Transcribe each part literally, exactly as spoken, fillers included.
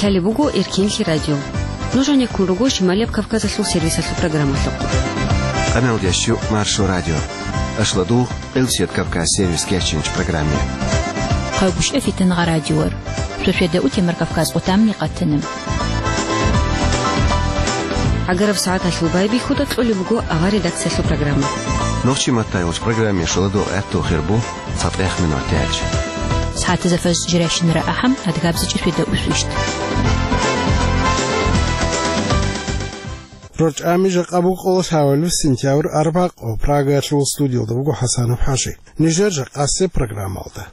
Лъалеб буго Эркенлъи радио. Нуж гьанеккун руго Шималияб Кавказалъул сервисалъул программалъухъ. Къамел ящу Маршо радио. Ашладу Элсият Кавказ сервис керченч программе. Хъайгушев Фитнагъа радиор. Шошеда утемар Кавказ отамни къатана. Агараб сагӀаталъул байбихьуда кьолеб буго авар редакциялъул программа. Нохчи маттайулч программе шоладу гӀатту хирбу. ЦатӀех минутач. СагӀатазда фажр жирайщинара ахӀам, адгабзичӀи шведа усвищ. РорчӀами жакъа букъулас гьавалев сентябрь арбакъо Прагаялъул студиялда буго ХӀасанов ХӀажи. Нижер жакъасе программалда.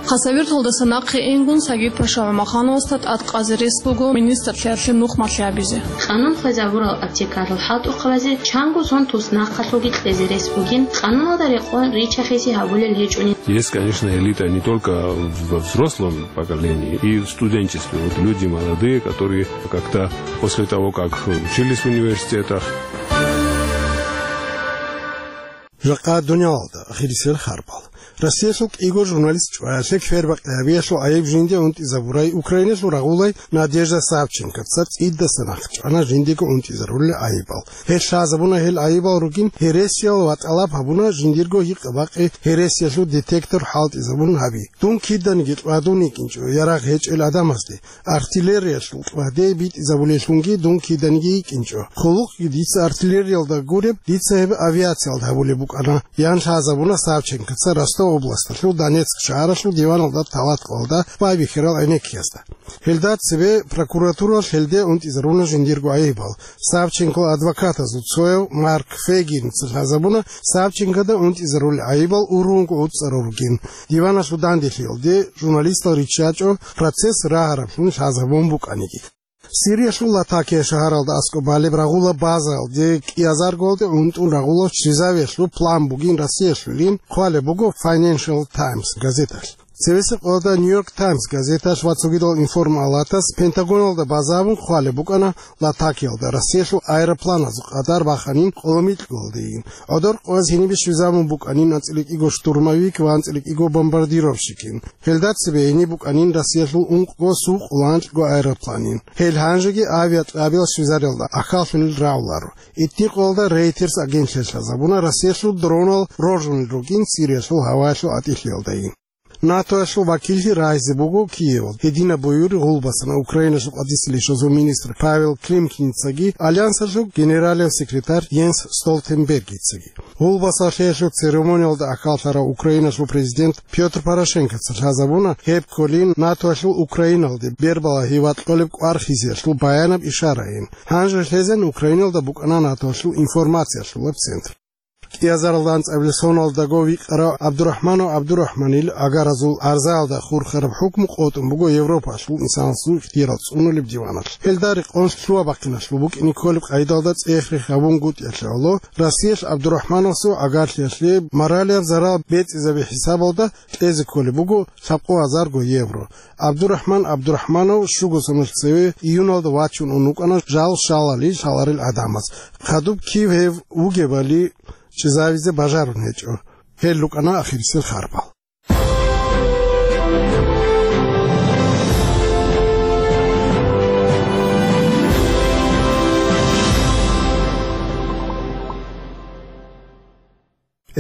Хасавюрталдаса нахъе ингун Сагид-паша ГӀумахановасда тӀадкъазе рес буго министрлъиялъе нухмалъи гьабизе. Къанун хвезабурал аптекарал хӀалтӀухъабазе чанго сон туснахъалъулги кьезе рес бугин, къануналда рекъон риччахизе гьабулел гьечӀони. Есть, конечно, элита не только во взрослом поколении, и в студенчестве. Вот люди молодые, которые как-то после того, как учились в университетах. Жакъа дуниялалда ахирисел харбал. Россиялъул кӀиго журналист чӀваялъе квербакъи гьабиялъул гӀайиб жинде унтӀизабурай Украиналъул рагъулай Надежда Савченковца цӀидасан ахчана жиндего унтӀизарулел гӀайибал. Гьел лъазабуна гьел гӀайибал ругин гьересиял ва тӀалаб гьабуна жиндирго гьикъа-бакъи гьересиялъул детектор хӀалтӀизабун гьаби. Дун киданиги кьвадун йикӀинчӀо ярагъ гьечӀел гӀадамазде. Артиллериялъул кьваде битӀизабулеллъунги дун киданиги йикӀинчӀо. Хъулухъги дица артиллериялда гуреб, дица гьеб авиациялда гьабулеб букӀана, ян лъазабуна Савченкоца Ростов областалъул Донецк шагьаралъул диваналда талат къолда байбихьарал гӀенеккиязда. Гьелда цебе прокуратуралъ гьелде унтӀизаруна жиндирго гӀайибал. Савченкол адвокатазул цояв Марк Фейгинца лъазабуна Савченкода унтӀизарулел гӀайибал ургьунго уцӀцӀарал ругин. Диваналъул данделъиялде журналистал риччачӀо, процесс рагьараблъун лъазабун букӀаниги. Сириялъул Латакия шагьаралда аскӀоб балеб рагъула базаялде кӀиазаргоялде унтӀун рагъула щвезавиялъул план бугин Россиялъулин хъвалеб буго Financial Times газеталъ. Цевесеб къоялда Нью-Йорк Таймс газеталъ ва цогидал информалатас Пентагоналда базабун хъвалеб букӀана Латакиялда Россиялъул аэропланазул къадар баханин къоломикьгоялдейин. ГӀодор къояз гьенибе щвезабун букӀанин анцӀила кӀиго штурмовик ва анцӀила кӀиго бомбардировщикин. Гьелда цебе гьениб букӀанин Россиялъул ункъго сукъуланкьго аэропланин. Гьел гьанжеги авиакьабил щвезариялда ахьаллъунел рагӀуларо. Итни къоялда Reuters агентлъиялъ лъазабуна Россиялъул дронал роржунел ругин Сириялъул гьаваялъул атӀилъиялдайин. НАТОялъул вакиллъи рагьизе буго Киевалде. Гьединаб буюри гъулбасан Украиналъул къадисел ишазул министр Павел Климкиницаги Альянсалъул генералияб секретарь Йенс Столтенбергицаги. Гъулбасалъиялъул церемониялда ахьаллъарав Украиналъул президент Пётр Порошенкоца лъазабуна гьеб кколин НАТОялъул Украиналде бербалагьи ва кьолеб кӀвар хизиялъул баянаб ишарайин. Гьанже лъезен Украиналда букӀана НАТОялъул информациялъулаб центр. КӀиазаралда анцӀабилеб соналдаго викъарав ГӀабдурахӀманов ГӀабдурахӀманил агаразул гӀарзаялда хурхараб хӀукму къотӀун буго Европалъул инсанасул ихтиярал цӀунулеб диваналъ. Гьелда рекъон лъугьа-бахъиналъул букӀине кколеб къайдалда цӀех-рех гьабунгутӀиялъе гӀоло, Россиялъ ГӀабдурахӀмановасул гӀагарлъиялъе моралияб зарал бецӀизаби хӀисабалда кьезе кколеб буго лъабкъо гьазарго евро. ГӀабдурахӀман ГӀабдурахӀманов щуго соналъ цеве июналда вачун ун вукӀана жал щалали лъаларел гӀадамаз. Хадуб кив гьев вугебали чӀезавизе бажарун гьечӀо. Гьел рукӀана ахирисел харбал.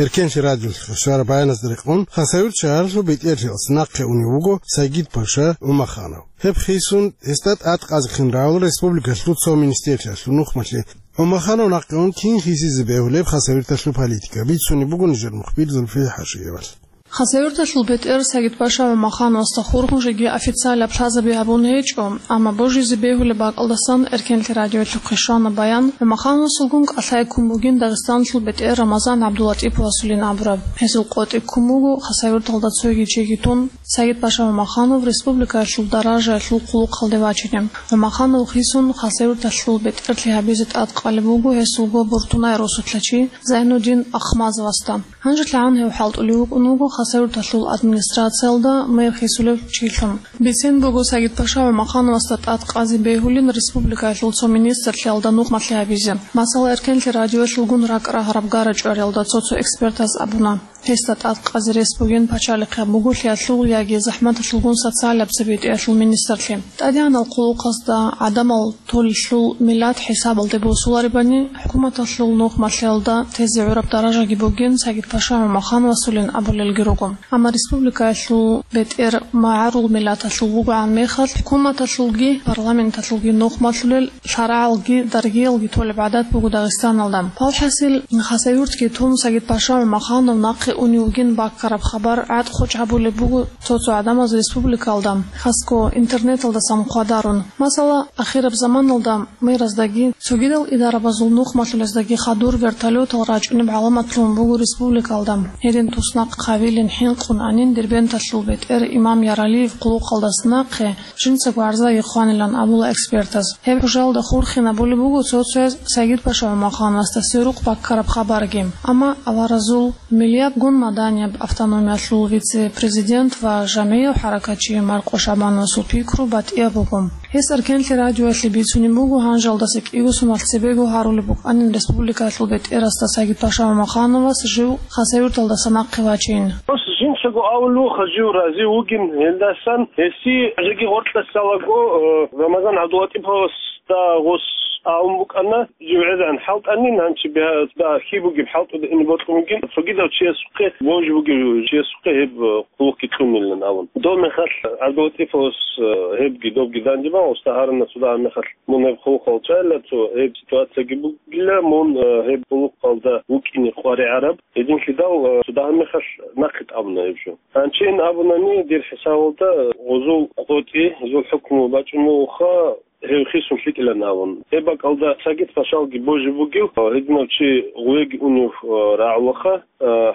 Эркенлъи радиолъухъе щвараб баяназда рекъон, Хасавюрт шагьаралъул бетӀерлъиялъ нахъе унев вуго Сагид-паша ГӀумаханов. Гьеб хисун, гьесда тӀадкъазехъин равал республикалъул цо министрлъиялъул нухмалъи. ГӀумаханов нахъе ун кин хисизе бегьулеб Хасавюрталъул политика, бицунеб буго нижер мухбир Зульфия ХӀажиевалъ. Хасавюрталъул бетӀер Сагид-паша ГӀумахановасда хурхун жеги официалаб лъазаби гьабун гьечӀо, амма божизе бегьулеб бакӀалдасан Эркенлъи радиоялъухъе щвана баян, ГӀумахановасулгун кӀалъай ккун бугин Дагъистаналъул бетӀер Рамазан ГӀабдулатӀиповасулин абураб. Гьесул къотӀи ккун буго Хасавюрталда цоги чиги тун, Сагид-паша ГӀумаханов республикаялъул даражаялъул хъулухъалде вачине. ГӀумаханов хисун Хасавюрталъул бетӀерлъи гьабизе тӀадкъалеб буго гьесулго буртунай росулъа чи Зайнудин Ахмазовасда. ГьанжелъагӀан гьев хӀалтӀулев вукӀун вуго Хасавюрталъул администрациялда мэр хисулев чилъун. Бицен буго Сагид-паша ГӀумахановасда тӀадкъазе бегьулин республикаялъул цо министрлъиялда нухмалъи гьабизе. Масала, Эркенлъи радиоялъулгун ракӀ рагьараб гара-чӀвариялда цо-цо экспертаз абуна. Гьесда тӀадкъазе рес бугин пачалихъ гьаб буголъиялъул яги захӀматалъулгун социалаб цебетӀиялъул министрлъи. ТӀадегӀанал хъулухъазда гӀадамал толелъул миллат хӀисабалде босуларебани, хӀукуматалъул нухмалъиялда тезе гӀураб даражаги бугин Сагид-паша ГӀумахановасулин абулелги руго. Амма республикаялъул бетӀер магӀарул миллаталъул вугоан мехалъ, хӀукуматалъулги парламенталъулги нухмалъулел лъарагӀалги даргиялги толеб гӀадат буго Дагъистаналда. Палхасил, Хасавюртги тун, Сагид-паша ГӀумаханов нахъе унев вугин баккараб хабар гӀатӀ-хъучӀ гьабулеб буго цо-цо гӀадамаз республикалда, хасго интернеталдасан хъвадарун. Масала, ахираб заманалда мэраздаги цогидал идарабазул нухмалъулездаги хадур вертолетал рачӀунеб гӀаламат лъугьун буго республикалда. Гьедин туснахъ хъавилин хӀинкъун анин Дербенталъул бетӀер Имам Яралиев хъулухъалдаса нахъе жинцаго гӀарзаги хъванилан абула экспертаз. Гьеб хӀужалда хурхинабулеб буго цо-цояз Сагид-паша ГӀумахановасда сверухъ баккараб хабарги. Амма аваразул миллиятгун маданияб автономиялъул вице-президент ва жамгӀияв хӀаракатчи Маркъо ШагӀбановасул пикру батӀияб буго. Гьес Эркенлъи радиоялъе бицунеб буго гьанжалдаса кӀиго сумалъ цебего гьарулеб букӀанин республикаялъул бетӀерасда Сагид-паша ГӀумахановас жив Хасавюрталдаса нахъе вачейин. Гьес жинцаго авулев вуго жив рази вугин, гьелдасан гьесие жеги гъоркьасалаго, э, Рамазан ГӀабдулатӀиповасда гъос абун букӀана, жив гӀезегӀан хӀалтӀанин, гьанчи бегьа-, да, хьи бугеб хӀалтӀуда ине бокьун бугин, цогидав чиясухъе, божи бугев чиясухъе гьеб, э, хъулухъги кьунилан абун. Доб мехалъ ГӀабдулатӀиповас, э, гьебги добги данде бан, уста гьарана цо дагьаб мехалъ мун гьеб хъулухъал чӀайила, цо гьеб ситуацияги бугила, мун, э, гьеб хъулухъалда вукӀине къваригӀараб. Гьединлъидал, э, цо дагьаб мехалъ нахъе тӀамуна гьеб жо. Гьанчи ин абунани, дир хӀисабалда гъозул къотӀи, гьезул хӀукму бачӀун бугоха, гьев хисун лъикӀилан абун. Гьеб бакӀалда Сагид-пашалги божи бугев, гьединав чи гъуеги унев рагӀулаха,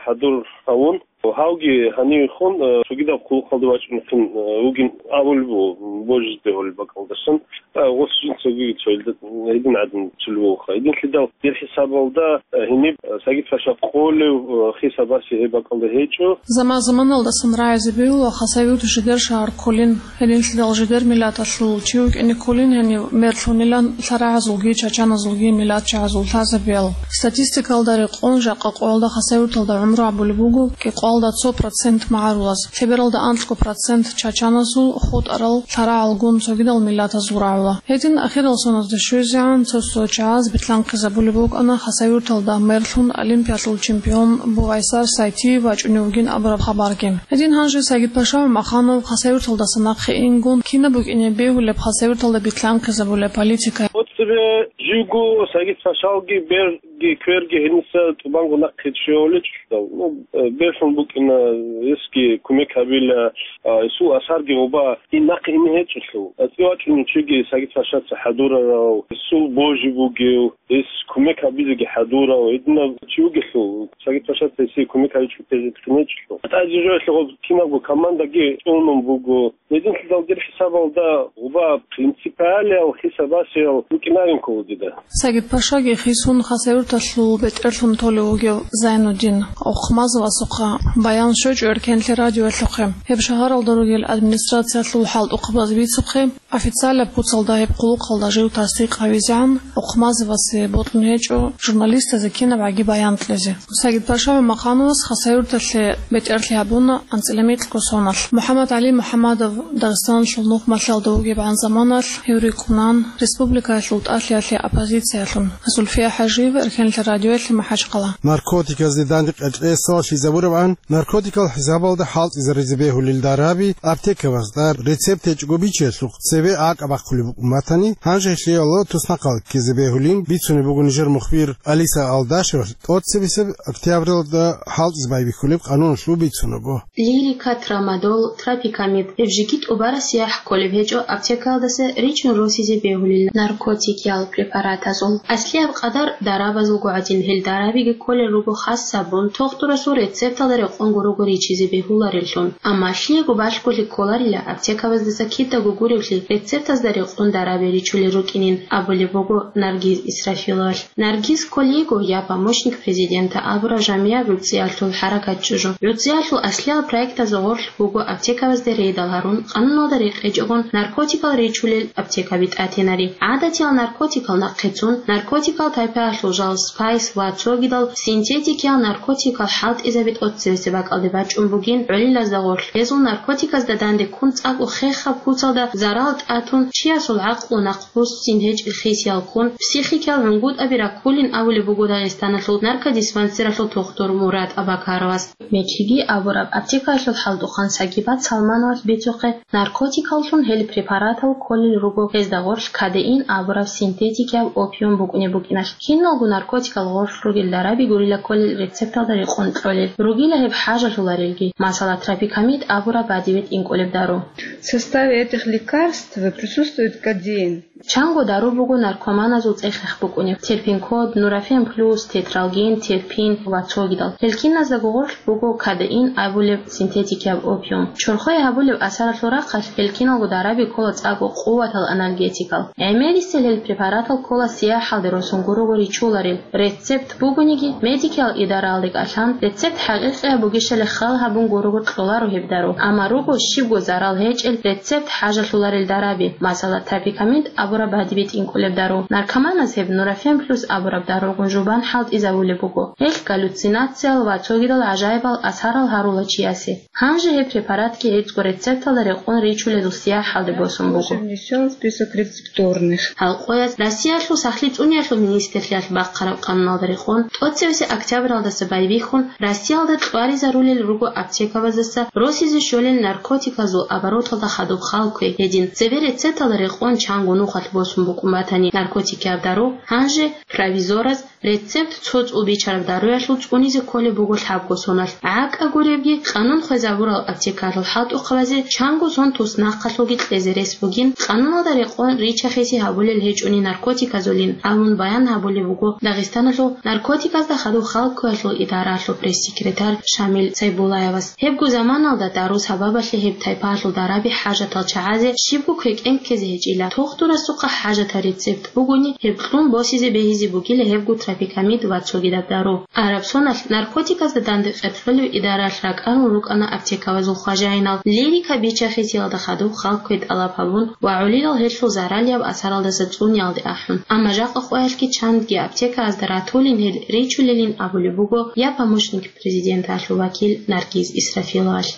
хӀадур гьавун. Гьавги гьанивехун цогидаб хъулухъалда вачӀунехъин вугин абулеб буго, божизе бегьулеб бакӀалдасан. Гъос жинцаги цоялда гьедин гӀадин цулев вуха. Гьединлъидал дир хӀисабалда гьениб Сагид-паша къолев хиса баси гьеб бакӀалда гьечӀо. Заман-заманалдасан рагӀизе бегьула Хасавюрт жидер шагьар кколин. Гьединлъидал жидер миллаталъул чи вукӀине кколин гьенив мерлъунилан лъарагӀазулги чачаназулги миллатчагӀазул лъазабиял. Статистикалда рекъон, жакъа къоялда Хасавюрталда гӀумру гьабулеб буго кӀикъоялда цо процент магӀарулаз, лъебералда анлъго процент чачаназул, хутӀарал, лъарагӀалгун цогидал миллатазул рагӀула. Гьедин ахирал соназда щвезегӀан цо-цо чагӀаз битлъанхъизабулеб букӀана Хасавюрталда мерлъун Олимпиялъул чемпион Бувайсар Сайтиев вачӀунев вугин абураб хабарги. Гьедин гьанже Сагид-паша ГӀумаханов Хасавюрталдаса нахъе ингун, кинаб букӀине бегьулеб Хасавюрталда битлъанхъизабулеб политика? Оцебе живго Сагид-пашалги берги кверги гьениса тӀубанго нахъе щвеолечӀо. Ну, э, берлъун букӀина, гьесги кумек гьабила, а, гьесул асарги гъоба ин нахъе ине гьечӀелъул. АцӀи вачӀунев чиги Сагид-пашаца хӀадурарав, гьесул божи бугев, гьес кумек гьабизеги хӀадурав, гьединав чи вугелъул, Сагид-пашаца гьесие кумек гьабичӀого тезетӀ хинечӀелъул. ГьатӀазе жоялъе гъоб кинабго командаги цӀунун буго. Гьединлъидал дир хӀисабалда гъоба принципиалиял хиса басиял букӀинарин ккола дида. Сагид-пашаги хисун Хасавюрталъул бетӀерлъун толев вугев Зайнуддин Ухмазовасухъа баян щвечӀо Эркенлъи радиоялъухъе. Гьеб шагьаралда ругел администрациялъул хӀалтӀухъабаз бицухъе, официалаб куцалда гьеб хъулухъалда жив тасдикъ гьавизегӀан Ухмазовасе бокьун гьечӀо журналистазе кинабгӀаги баян кьезе. Сагид-паша ГӀумахановас Хасавюрталъе бетӀерлъи гьабуна анцӀила микьго соналъ. МухӀаммад-ГӀали МухӀаммадов Дагъистаналъул нухмалъиялда вугебгӀан заманалъ гьев рикӀкӀунан республикаялъул тӀалъиялъе оппозициялъун. Зульфия ХӀажиева, Эркенлъи радиоялъе, МахӀачкъала. Наркотиказде данде къечӀесалъ лъизабурабгӀан, наркотикал хӀисабалда хӀалтӀизаризе бегьулел дараби аптекабазда рецепт гьечӀого бичиялъухъ цебе акӀа бахъулеб букӀун батани, гьанже гьелъиялъул туснахъал ккезе бегьулин бицунеб буго нижер мухбир Алиса Алдашевалъ тӀоцебесеб октябралда хӀалтӀизе байбихьулеб къануналъул бицунаго. Лирика, трамадол, тропикамид, гьеб жеги тӀубараб сияхӀ кколеб гьечӀо аптекаялдаса ричӀун росизе бегьулел наркотикиял препаратазул. Аслияб къадар дарабазулго гӀадин, гьел дарабиги кколел руго хас сабун, тухтурасул рецепталда рекъонго руго ричизе бегьулареллъун. Амма лъиего балъголъи кколарила аптекабаздаса кидаго гуревлъи рецептазда рекъон дараби ричулел рукӀинин, абулеб буго Наргиз Исрафиловалъ. Наргиз кколей йиго «Я помощник президента» абураб жамияб гӀуцӀиялъул хӀаракат чӀужу. ГӀуцӀиялъул аслиял проектазда гъорлъ буго аптекабазде рейдал гьарун, къануналда рекъечӀогун наркотикал ричулел аптекаби тӀатинари. ГӀадатиял наркотикал нахъе цун, наркотикал тайпаялъул жал, спайс ва цогидал синтетикиял наркотикал хӀалтӀизаби тӀоцебесеб бакӀалде бачӀун бугин гӀолилазда гъорлъ. Гьезул наркотиказда данде ккун цӀакъго хехаб куцалда зарал тӀатун, чиясул гӀакълу нахъбуссин гьечӀеб хисиял ккун, психикиял гӀунгутӀаби раккулин абулеб буго Дагъистаналъул наркодиспансералъул тухтур Мурад Абакаровас. Мекиги абураб аптекаялъул хӀалтӀухъан Сагибат Салмановалъ бицухъе, наркотикаллъун гьел препаратал кколел руго гьезда гъорлъ кадеин абураб синтетикияб опиум букӀунеб букӀиналъ. Киналго наркотикал гъорлъ ругел дараби гурила кколел рецепталда рекъон кьолел, ругила гьеб хӀажалъуларелги, масала, тропикамид абураб бадибе тӀинкӀулеб дару. В составе этих лекарств присутствует кодеин. Чанго дару буго наркоманазул цӀех-рех букӀунеб: терпинкод, нурофен плюс, тетралгин, терпин ва цогидал. Гьел киназдаго гъорлъ буго кадеин абулеб синтетикияб опиум. Чорхое гьабулеб асаралъул рахъалъ гьел киналго дараби ккола цӀакъго къуватал анальгетикал. ГӀемерисел гьел препаратал ккола сияхӀалде росун гурого ричуларел. Рецепт бугониги, медикиял идараялде кӀалъан, рецепт хӀакъикъияб бугищали хал гьабун гурого кьоларо гьеб дару. Амма руго щибго зарал гьечӀел рецепт хӀажалъуларел дараби, масала, тропикамид абураб бадибе тӀинкӀулеб дару. Наркоманаз гьеб нурофен плюс абураб даругун жубан хӀалтӀизабулеб буго. Гьелъ галлюцинациял ва цогидал гӀажаибал асарал гьарула чиясе. Гьанже гьеб препаратги гьецӀго рецепталда рекъон ричулезул сияхӀалде босун буго. Внесён в список рецептурных. Гьал къоялъ Россиялъул сахлъи цӀуниялъул министрлъиялъ бахъараб къануналда рекъон, тӀоцевесеб октябралдаса байбихьун, Россиялда кьваризарулел руго аптекабаздаса росизе щолел наркотиказул обороталда хадуб хал кквей гьедин, цебе рецепталда рекъон чанго нухалъ босун букӀун батани наркотикияб дару, гьанже провизораз рецепт цо цӀул бичараб даруялъул цӀунизе кколеб буго лъабго соналъ. ГӀакъа гуребги, къанун хвезабурал аптекалъул хӀалтӀухъабазе чанго сон туснахъалъулги кьезе рес бугин, къануналда рекъон рича-хиси гьабулел гьечӀони наркотиказулин, абун баян гьабулеб буго Дагъистаналъул наркотиказда хадуб хал кквеялъул идараялъул пресс-секретарь Шамил Сайбуллаевас. Гьебго заманалда дару сабабалъе гьеб тайпаялъул дараби хӀажатал чагӀазе щибго квекӀен ккезе гьечӀила. Тухтурасухъа хӀажатал рецепт бугони, гьеб кьун босизе бегьизе бугила гьебго тропикамид ва цогидаб дару. Араб соналъ наркотиказда данде къеркьолеб идараялъ ракӀарун рукӀана аптекабазул хважаинал, лирика бича-хисиялда хадуб хал кквей тӀалаб гьабун ва гӀолилал гьелъул заралияб асаралдаса цӀуниялде ахӀун. Амма жакъа къоялъги чандги аптекаязда ратулин гьел ричулелин абулеб буго «Я помощник президента»лъул вакил Наргиз Исрафиловалъ.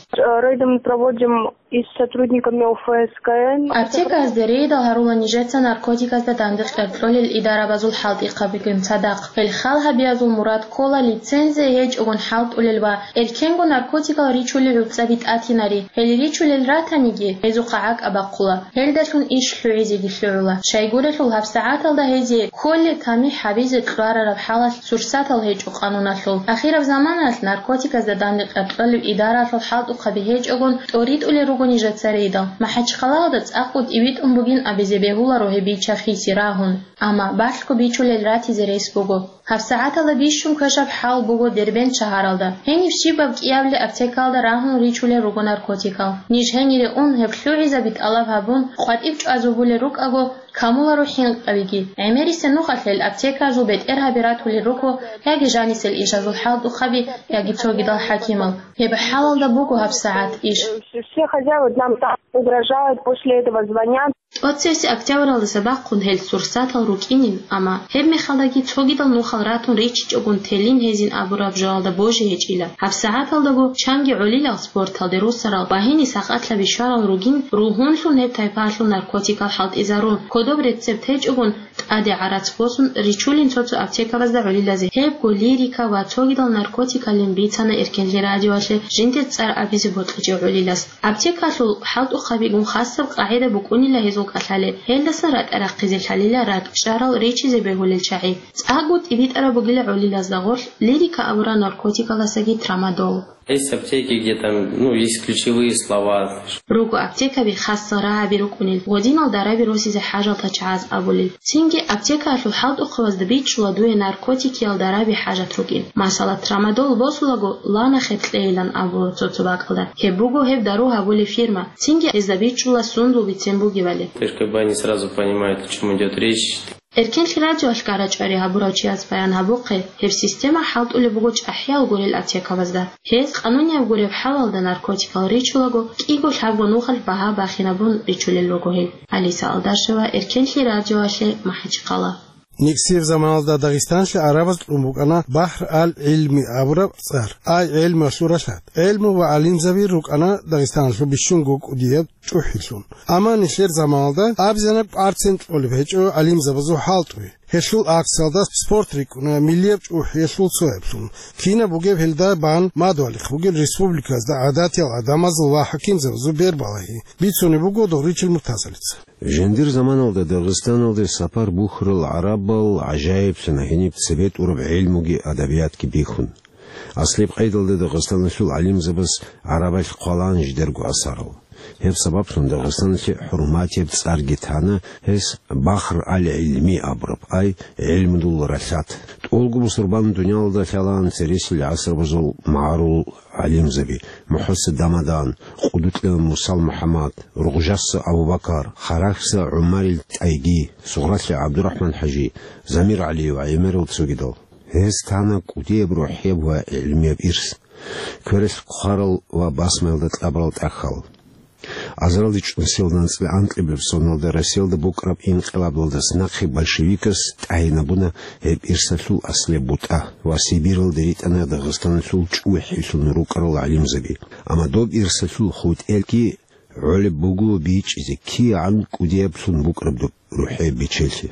Рейды мы проводим и с сотрудниками О Ф С К Н. Аптекаязде рейдал гьарула нижеца наркотиказда данде къеркьолел идарабазул хӀалтӀихъабигун цадахъ. Гьел хал гьабиязул мурад ккола лицензия гьечӀогун хӀалтӀулел ва эркенго наркотикал ричулел гӀуцӀаби тӀатинари. Гьел ричулел ратаниги, гьезухъа гӀакӀа бахъула. Гьелдалъун иш лъугӀизеги лъугӀула. Щайгурелъул гьабсагӀаталда гьезие кколеб тамихӀ гьабизе кьварараб хӀалалъ сурсатал гьечӀо къануналъул. Ахираб заманаялъ наркотиказда данде къеркьолеб идараялъул хӀалтӀухъаби гьечӀогун тӀоритӀулел руго нижеца рейдал. МахӀачхъалаялда цӀакъго тӀибитӀун бугин абизе бегьуларо гьеб бича-хиси рагьун. Амма балъго бичулел ратизе рес буго. ГьабсагӀаталда бищун квешаб хӀал буго Дербент шагьаралда. Гьениб щибаб кӀиябли аптекалда рагьун ричулел руго наркотикал. Ниж гьенире ун гьеб лъугӀизаби тӀалаб гьабун, къватӀиб чӀвазабулел рукӀаго, камуларо хӀинкъабиги. ГӀемерисел нухалъ гьел аптекаялъул бетӀергьаби ратулел руго яги жанисел ишазул хӀалтӀухъаби, яги цогидал хӀакимал. Гьеб хӀалалда буго гьабсагӀат иш. Все хозяева нам так угрожают, после этого звонят. ТӀоцевесеб октябралдаса бахъун гьел сурсатал рукӀинин, амма гьеб мехалдаги цогидал нухал ратун ричичӀогун телин гьезин абураб жоялда божи гьечӀила. ГьабсагӀаталдаго чанги гӀолилал спорталде росарал ва гьениб сакъатлъаби щварал ругин, ругьунлъун гьеб тайпаялъул наркотикал хӀалтӀизарун, кодоб рецепт гьечӀогун, тӀаде гӀарац босун, ричулин цо-цо аптекабазда гӀолилазе. Гьебго лирика ва цогидал наркотикалин бицана эркенлъи радиоялъе жиндир цӀар абизе бокьичӀев гӀолилас. Аптекалъул хӀалтӀухъабигун хасаб къагӀида букӀунила гьезул кӀалъалеб, гьелдасан ракӀа рахъизе лъалила ракӀчӀарал ричизе бегьулел чагӀи. ЦӀакъго тӀибитӀараб бугила гӀолилазда гъорлъ лирика абураб наркотикаласаги трамадол. Есть аптеки, где там, ну, есть ключевые слова. Руго аптекаби хасса рагӀаби рукӀунел, гъодинал дараби росизе хӀажалда чагӀаз абулел. Цинги аптекаялъул хӀалтӀухъабазда бичӀчӀула дуе наркотикиял дараби хӀажат рукӀин. Масала, трамадол босулаго, лана хеб кьейилан абула цо-цо бакӀалда. Гьеб буго гьеб дару гьабулеб фирма. Цинги гьезда бичӀчӀула сундул бицен бугебали. Только они сразу понимают, о чём идёт речь. Эркенлъи радиоялъ кӀарачӀари гьабурав чияс баян гьабухъе, гьеб система хӀалтӀулеб буго чӀахӀиял гурел аптекабазда. Гьез къанунияб гуреб хӀалалда наркотикал ричулаго, кӀиго-лъабго нухалъ багьа бахинабун ричулел руго гьел. Алиса Алдашева, Эркенлъи радиоялъе, МахӀачхъала. Никсияб заманалда Дагъистанлъи гӀарабаз кьун букӀана Бахр ал-ГӀилми абураб цӀар, ай гӀелмуялъул ралъад. ГӀелму ва гӀалимзаби рукӀана Дагъистаналъул бищунго кӀудияб чӀухӀилъун. Амма нилъер заманалда абизанаб процент кьолеб гьечӀо гӀалимзабазул хӀалтӀуе. Гьелъул акциялда спорт рикӀкӀуна миллияб чӀухӀиялъул цояблъун. Кинаб бугеб гьелда бан мадугьалихъ бугел республиказда гӀадатиял гӀадамазул ва хӀакимзабазул бербалагьи, бицунеб буго Догъричил Муртазалица. Жиндир заманалда Дагъистаналде сапар бухьарал гӀарабал гӀажаиблъана гьениб цебетӀураб гӀелмуги адабиятги бихьун. Аслияб къайдалда Дагъистаналъул гӀалимзабаз гӀарабалъ хъвалаан жидерго асарал. Гьеб сабаблъун Дагъистаналъе хӀурматияб цӀарги тана, гьес Бахр ал-ГӀилми абураб, ай гӀелмудул ралъад. ТӀолго бусурбан дуниялалда лъалаан цересел гӀасрабазул магӀарул гӀалимзаби: МухӀса Дамадан, Къудукьа Мусал МухӀаммад, Ругъжаса Абу-Бакар, Харахьса ГӀумарил ТӀайги, Сугъралъа ГӀабдурахӀман-хӀажи, Замир ГӀали ва гӀемерал цогидал. Гьез тана кӀудияб рухӀияб ва гӀилмияб ирс, квералъ хъварал ва басмаялда кьабурал тӀахьал. Азаралде чӀунсиялда анцӀила анкьабилеб соналда Россиялда букӀараб инкъилабалдаса нахъе большевикас тӀагӀинабуна гьеб ирсалъул аслияб бутӀа ва Сибиралде ритӀана Дагъистаналъул чӀухӀилъун рукӀарал гӀалимзаби. Амма доб ирсалъул хутӀелги гӀолеб буго бичӀчӀизе, кигӀан кӀудияблъун букӀараб доб рухӀияб бечелъи.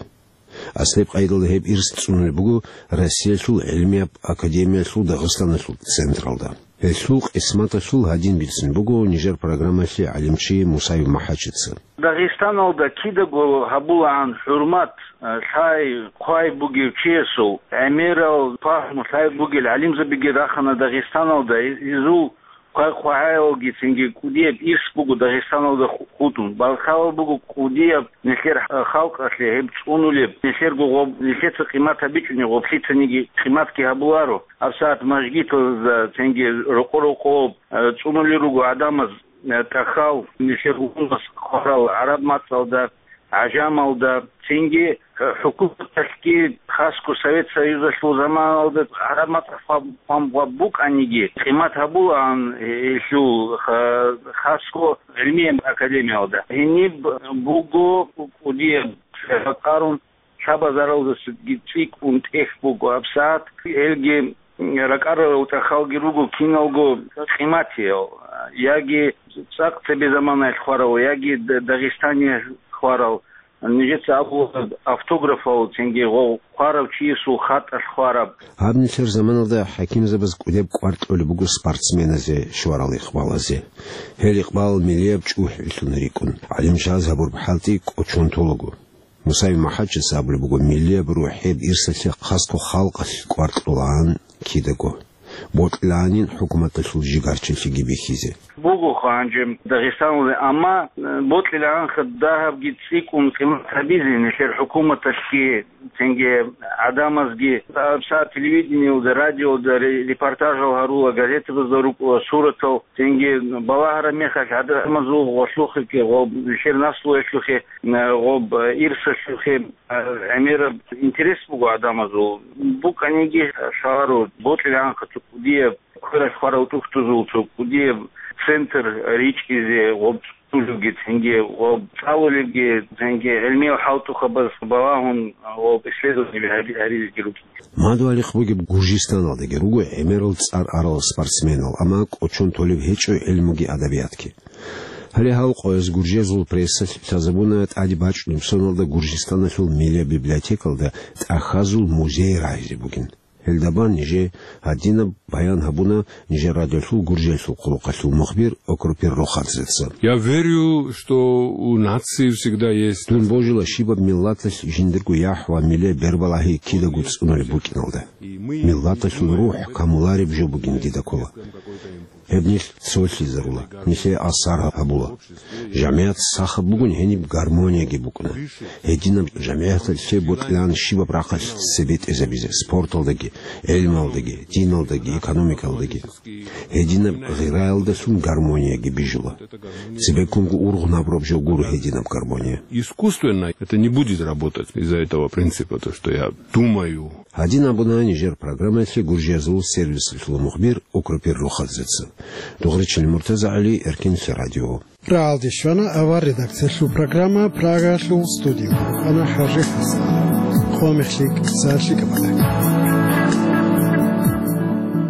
Аслияб къайдалда гьеб ирс цӀунулеб буго Россиялъул гӀилмияб академиялъул Дагъистаналъул централда. Гьелъул къисматалъул гьадин бицун буго нижер программалъе гӀалимчи Мусаев МахӀачица. Дагъистаналда кидаго гьабулаан хӀурмат, э, лъай-хъвай бугев чиясул, гӀемерал пагьму лъай бугел гӀалимзабиги рахана Дагъистаналда, изул хъвай-хъвагӀаялги цинги кӀудияб ирс буго Дагъистаналда ху-, хутӀун. Балхалал буго кӀудияб нилъер халкъалъе гьеб цӀунулеб, нилъерго гъоб-, нилъеца къимат гьабичӀони гъоблъицаниги къиматги гьабуларо. ГьабсагӀат мажгитазда цинги рокъо-рокъоб, э, цӀунулел руго гӀадамаз, э, тӀахьал, нилъер гьунас хъварал гӀараб мацӀалда, гӀажамалда, цинги, э, хӀукуматалъги, хасго Совет Союзалъул заманалда гӀараб мацӀалъ хъван-, хъван-, хъван букӀаниги, къимат гьабулаан гьелъул ха-, хасго гӀилмияб академиялда. Гьениб буго кӀудияб ракӀарун, лъабазаралдасаги цӀикӀкӀун тӀехь буго гьабсагӀат. Гьелги ракӀарарал тӀахьалги руго киналго къиматиял, яги цӀакъ цебе заманаялъ хварал, яги Д-, Дагъистаниялъ хварал, нижеца абула автографал, цинги гъо-, хварав чиясул хатӀалъ хвараб. Гьаб нилъер заманалда хӀакимзабаз кӀудеб кӀвар кьолеб буго спортсменазе, щварал икъбалазе. Гьел икъбал миллияб чӀухӀилъун рикӀкӀун, гӀалимчияз гьабураб хӀалтӀи кӀочон толаго. Мусаев МахӀачица абулеб буго миллияб рухӀияб ирсалъе хасго халкъалъ кӀвар кьолаан кидаго. Бокьилаанин хӀукуматалъул жигарчилъиги бихьизе. Буго гьанже Дагъистаналда, амма, э, бокьилаанха дагьабги цӀикӀкӀун къимат гьабизе нилъер хӀукуматалъги, цинги гӀадамазги. ГьабсагӀат телевидениялда, радиода ре-, репортажал гьарула, газетабазда рукӀула суратал, цинги балагьараб мехалъ гӀадамазул гъолъухъе, гъоб-, нилъер наслуялъухъе, э, гъоб-, э, ирсалъухъе, э, гӀемераб интерес буго гӀадамазул. БукӀаниги, э, лъаларо бокьилаанха цо кӀудияб квералъ хварав тӀухьдузул цо кӀудияб центр ричӀизе, гъоб цӀунулевги цинги гъоб цӀалулевги цинги гӀилмиял хӀалтӀухъабаз балагьун гъоб исследование гьари-, гьаризеги рукӀин. Мадугьалихъ бугеб Гуржистаналдаги руго гӀемерал цӀар арал спортсменал, амма кӀочон толеб гьечӀо гӀилмуги адабиятги. Гьале гьал къояз гуржиязул прессалъ лъазабуна тӀаде бачӀунеб соналда Гуржистаналъул миллияб библиотекалда тӀахьазул музей рагьизе бугин. Гьелдабан нижее гьадинаб баян гьабуна нижер радиолъул Гуржиялъул хъулухъалъул мухбир Окропир Рохадзеца. Я верю, что у нации всегда есть... Дун божила щибаб миллаталъ жиндирго яхӀ ва милле бербалагьи кидаго цӀунулеб букӀиналда. Миллаталъул рухӀ камулареб жо бугин дида ккола. Гьеб нилъ цолъизарула, нилъее асар гьабула. ЖамигӀат сахаб бугун гьениб гармонияги букӀуна. Гьединаб жамигӀаталъе бокьилаан щибаб рахъалъ цебетӀезабизе, спорталдаги, гӀелмалдаги, диналдаги, экономикалдаги. Гьединаб гъираялдалъун гармонияги бижула. Цебеккунго ургъун гьабураб жо гуро гьединаб гармония. Искусственно это не будет работать из-за этого принципа, то, что я думаю. Гьадин абуна нижер программаялъе Гуржиязул сервисалъул мухбир Окропир Рохадзеца. Дугъричил МуртазагӀали, Эркинлъи радио. Рагьалде щвана авар редакциялъул программа, Прагалъул студиялда вукӀана ХӀажи ХӀасан. Къо мехлъи кӀиса лъикӀаб.